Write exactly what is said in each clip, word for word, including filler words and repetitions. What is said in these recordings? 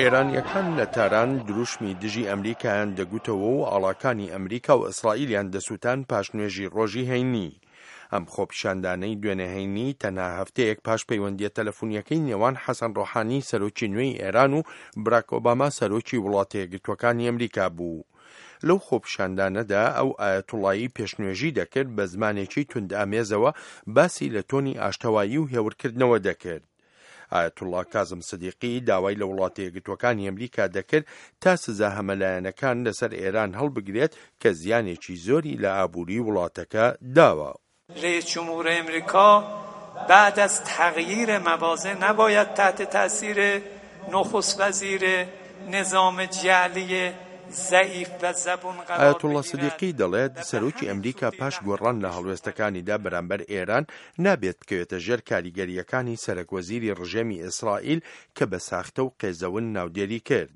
ئێرانییەکان لە تاران دروشمی دژی ئەمریکایان دەگوتەوە و ئاڵاکانی ئەمریکا و ئیسرائیلیان دەسووتان پاش نوێژی ڕۆژی هەینی. ئەم خۆپیشاندانەی دوێنێ هەینی تەنها هەفتەیەک پاش پەیوەندییە تەلەفونییەکەی نێوان حەسەن ڕۆحانی سەرۆکی نوێی ئێران و براک ئۆباما سەرۆکی وڵاتە یەکگرتووەکانی ئەمریکا بوو. لەو خۆپیشاندانەدا ئەو ئایەتوڵایی پێشنوێژی دەکرد بە زمانێکی توندئامێزەوە باسی لە تۆنی ئاشتەوایی و هێورکردنەوە دەکرد. ئایەتوڵا کازم سدیقی داوای لە وڵاتە یەکگرتووەکانی ئەمریکا دەکرد تا سزا هەمەلایەنەکان لەسەر ئێران هەڵبگرێت کە زیانێکی زۆری لە ئابووری وڵاتەکە داوە. رئیس جمهور امریکا بعد از تغییر مواضع نباید تحت تاثیر نخست وزیر نظام جعلی ضعیف و زبون قرار ئایەتوڵا بگیرد سدیقی دەڵێت و به سەرۆکی همین ئەمریکا زودی پاش و گۆڕان همین لە پیش هەڵوێستەکانیدا بەرامبەر ئێران نابێت بکەوێتە ژێر کاریگەرییەکانی سەرەک وەزیری ڕژێمی ئیسرائیل کە بە ساختە و قێزەون ناودێری کرد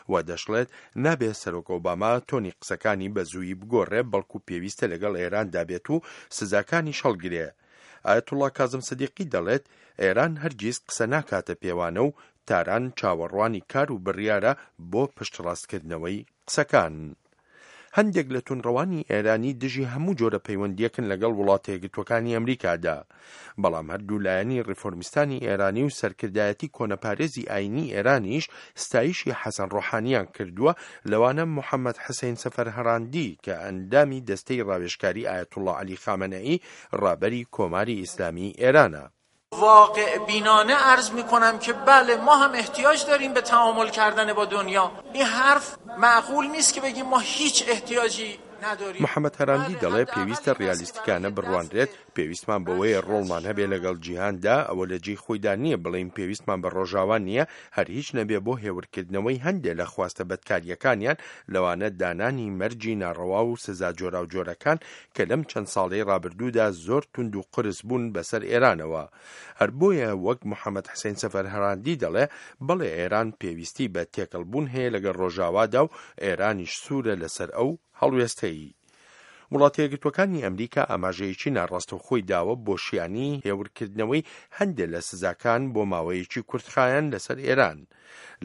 و دەشڵێت نابێت سەرۆک ئۆباما تۆنی قسەکانی بە زوویی بگۆڕێ بەڵکو پێویستە لەگەڵ ئێراندا بێت و سزاکانیش هەڵگرێ. ئایەتوڵا کازم سدیقی دەڵێت ئێران هەرگیز قسە ناکاتە پێوانە و تاران چاوەڕوانی کار و بڕیارە بۆ پشتڕاستکردنەوەی قسەکان. هەندێک لە توندڕەوانی ئێرانی دژی هەموو جۆرە پەیوەندییەکن لەگەڵ وڵاتە یەکگرتووەکانی ئەمریکادا، بەڵام هەردوو لایەنی ڕیفۆرمیستانی ئێرانی و سەرکردایەتی کۆنەپارێزی ئاینی ئێرانیش ستایشی حەسەن ڕۆحانیان کردووە، لەوانە محەممەد حسین سەفەرهەراندی کە ئەندامی دەستەی ڕاوێژکاری ئایەتوڵا عەلی خامنەئی ڕابەری کۆماری ئیسلامی ئێرانە. واقع بینانه عرض میکنم که بله ما هم احتیاج داریم به تعامل کردن با دنیا. این حرف معقول نیست که بگیم ما هیچ احتیاجی نداریم. محەممەد هەراندی بله، دەڵێ حداقل پێویستە این است که ڕیالیستیکانە برای بڕوانرێت، دست پێویستمان بەوەیە ڕۆڵمان هەبێ لەگەڵ جیهاندا، ئەوە لە جێی خۆیدا نییە بڵێین پێویستمان بە ڕۆژاوا نییە، هەر هیچ نەبێ بۆ هێورکردنەوەی هەندێک لە خواستە بەدکاریەکانیان، لەوانە دانانی مەرجی ناڕەوا و سزا جۆراوجۆرەکان کە لەم چەند ساڵەی ڕابردوودا زۆر توند و قورس بوون بەسەر ئێرانەوە. هەر بۆیە وەک محەممەد حسین سەفەرهەراندی دەڵێ بەڵێ ئێران پێویستی بە تێکەڵبوون هەیە لەگەڵ ڕۆژاوادا و ئێرانیش سوورە لەسەر ئەو هەڵوێستەیی. وڵاتە یەکگرتووەکانی ئەمریکا ئاماژەیەکی ناڕاستەوخۆی داوە بۆ شیانی هێورکردنەوەی هەندێک لە سزاکان بۆ ماوەیەکی کورتخایەن لەسەر ئێران.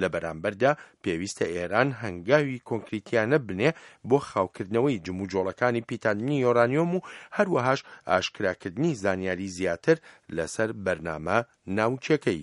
لە بەرامبەردا پێویستە ئێران هەنگاوی کۆنکریتیانە بنێ بۆ خاوکردنەوەی جموجۆڵەکانی پیتاندنی یۆرانیۆم و هەروەهاش ئاشکراکردنی زانیاری زیاتر لەسەر بەرنامە ناوچەکەی.